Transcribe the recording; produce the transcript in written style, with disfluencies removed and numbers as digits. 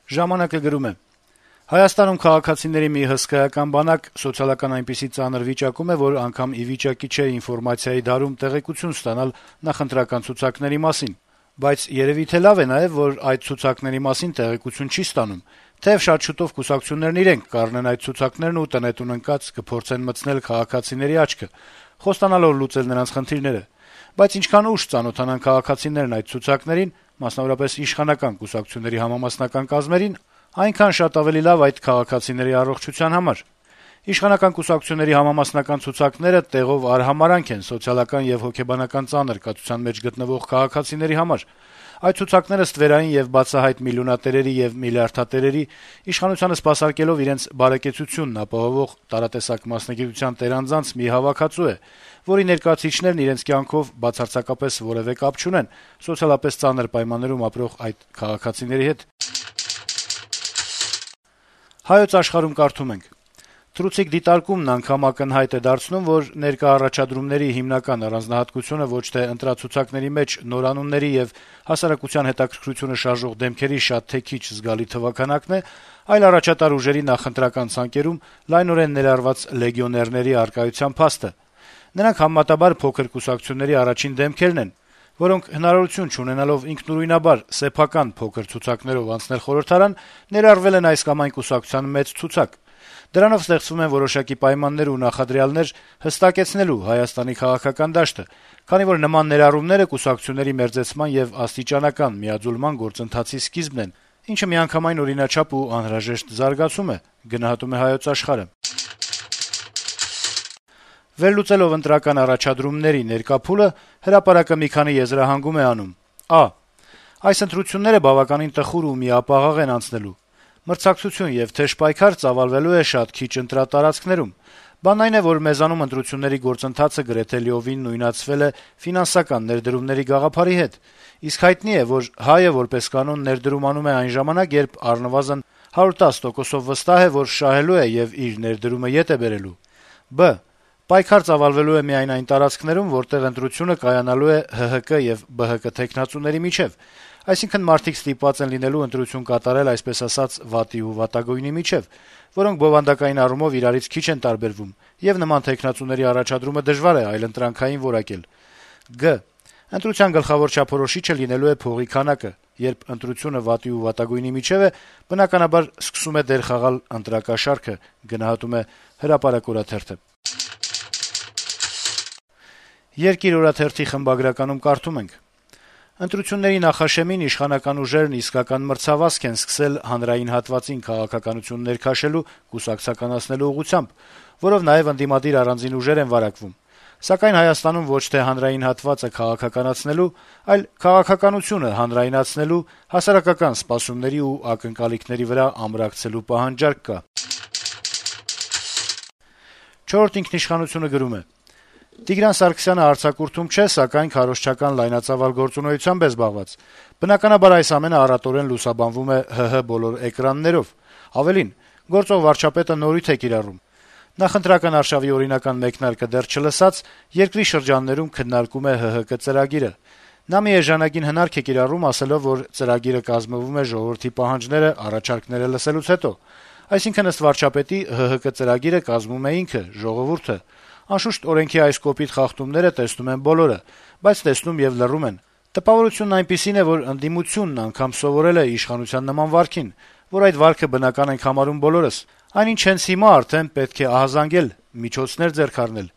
Ժամանակը գրում է. - Հայաստանում քաղաքացիների մի հսկայական բանակ սոցիալական այնպիսի ծանր վիճակում է, որ անգամ ի վիճակի չէ ինֆորմացիայի դարում տեղեկություն ստանալ նախընտրական ցուցակների մասին: Բայց երեւի թե լավ է նաեւ, որ այդ ցուցակների մասին տեղեկություն չի ստանում, թեեւ շատ շուտով կուսակցություններն իրենք կառնեն այդ ցուցակներն ու տնետուն ընկած կփորձեն մտցնել քաղաքացիների աչքը, խոստանալով լուծել նրանց խնդիրները: Բայց ինչքան ուշ ծանոթանան քաղաքացիներն այդ ցուցակներին, մասնավորապես իշխանական կուսակցությունների համամասնական կազմերին, այնքան շատ ավելի լավ այդ քաղաքացիների առողջության համար: Իշխանական կուսակցությունների համամասնական ցուցակները տեղով արհամարհանք են սոցիալական եւ հոգեբանական ծանր կացության մեջ գտնվող քաղաքացիների համար: Այդ ցուցակները ստվերային եւ բացահայտ միլիոնատերերի եւ միլիարդատերերի, իշխանությանը սպասարկելով իրենց բարեկեցությունն ապահովող տարատեսակ մասնագիտության տերանձանց մի հավաքածու է, որի ներկայացուցիչներն իրենց կյանքով բացարձակապես որեւէ կապ չունեն սոցիալապես ծանր պայմաններում ապրող այդ քաղաքացիների հետ»: «Հայոց Աշխարհ»-ում կարդում ենք. - «Թռուցիկ դիտարկումն անգամ ակնհայտ է դարձնում, որ ներկա առաջադրումների հիմնական առանձնահատկությունը ոչ թե ընտրացուցակների մեջ նորանունների եւ հասարակության հետաքրքրությունը շարժող դեմքերի շատ թե քիչ զգալի թվաքանակն է, այլ առաջատար ուժերի նախընտրական ցանկերում լայնորեն ներառված լեգիոներների առկայության փաստը: Նրանք համեմատաբար փոքր կուսակցությունների առաջին դեմքերն են, որոնք հնարավորություն չունենալով ինքնուրույնաբար սեփական փոքր ցուցակներով անցնել խորհրդարան, ներառվել են այս կամ այն կուսակցության մեծ ցուցակ: Դրանով ստեղծվում են որոշակի պայմաններ ու նախադրյալներ հստակեցնելու Հայաստանի քաղաքական դաշտը, քանի որ նման ներառումները կուսակցությունների մերձեցման եւ աստիճանական միաձուլման գործընթացի սկիզբն են, ինչը միանգամայն օրինաչափ ու անհրաժեշտ զարգացում է»: Վերլուծելով ընտրական առաջադրումների ներկա փուլը, «Հրապարակ»-ը մի քանի եզրահանգում է անում. - «Այս ընտրությունները բավականին տխուր ու միապաղաղ են անցնելու: Մրցակցություն եւ թեժ պայքար ծավալվելու է շատ քիչ ընտրատարածքներում: Բանն այն է, որ մեզանում ընտրությունների գործընթացը գրեթե լիովին նույնացվել է ֆինանսական ներդրումների գաղափարի հետ, իսկ հայտնի է, որ հայը որպես կանոն ներդրում անում է այն ժամանակ, երբ առնվազն 110%-ով վստահ է, որ շահելու է եւ իր ներդրումը ետ է բերելու: Պայքար ծավալվելու է միայն այն տարածքներում, որտեղ ընտրությունը կայանալու է ՀՀԿ եւ ԲՀԿ թեկնածուների միջեւ, այսինքն մարդիկ ստիպված են լինելու ընտրություն կատարել այսպես ասած վատի ու վատագույնի միջեւ, որոնք բովանդակային առումով իրարից քիչ են տարբերվում, եւ նման թեկնածուների առաջադրումը դժվար է այլընտրանքային որակել: Ընտրության գլխավոր չափորոշիչը լինելու է փողի քանակը: Երբ ընտրությունը վատի ու վատագույնի միջեւ է, բնականաբար սկսում է դեր խաղալ ընտրակաշառքը»: «Երկիր» օրաթերթի խմբագրականում կարդում ենք. - «Ընտրությունների նախաշեմին իշխանական ուժերն իսկական մրցավազք են սկսել հանրային հատվածին քաղաքականություն ներքաշելու, կուսակցականացնելու ուղղությամբ, որով նաեւ ընդդիմադիր առանձին ուժեր են վարակվում: Սակայն Հայաստանում ոչ թե հանրային հատվածը քաղաքականացնելու, այլ քաղաքականությունը հանրայնացնելու, հասարակական սպասումների ու ակնկալիքների վրա ամրակցելու պահանջարկ կա»: «Չորրորդ ինքնիշխանություն»-ը գրում է. - «Տիգրան Սարգսյանը արձակուրդում չէ, սակայն քարոզչական լայնածավալ գործունեությամբ է զբաղված: Բնականաբար այս ամենը առատորեն լուսաբանվում է ՀՀ բոլոր էկրաններով: Ավելին, գործող վարչապետը նորույթ է կիրառում: Նախընտրական արշավի օրինական մեկնարկը դեռ չլսած, երկրի շրջաններում քննարկում է ՀՀԿ ծրագիրը: Նա մի էժանագին հնարք է կիրառում, ասելով, որ ծրագիրը կազմվում է ժողովրդի պահանջները, առաջարկները լսելուց հետո: Այսինքն, ըստ վարչապետի, ՀՀԿ ծրագիրը կազմում է ինքը` ժողովուրդը: Անշուշտ, օրենքի այս կոպիտ խախտումները տեսնում են բոլորը, բայց տեսնում եւ լռում են: Տպավորությունն այնպիսին է, որ ընդդիմությունն անգամ սովորել է իշխանության նման վարքին, որ այդ վարքը բնական ենք համարում բոլորս: Այնինչ հենց հիմա արդեն պետք է ահազանգել, միջոցներ ձեռք առնել»: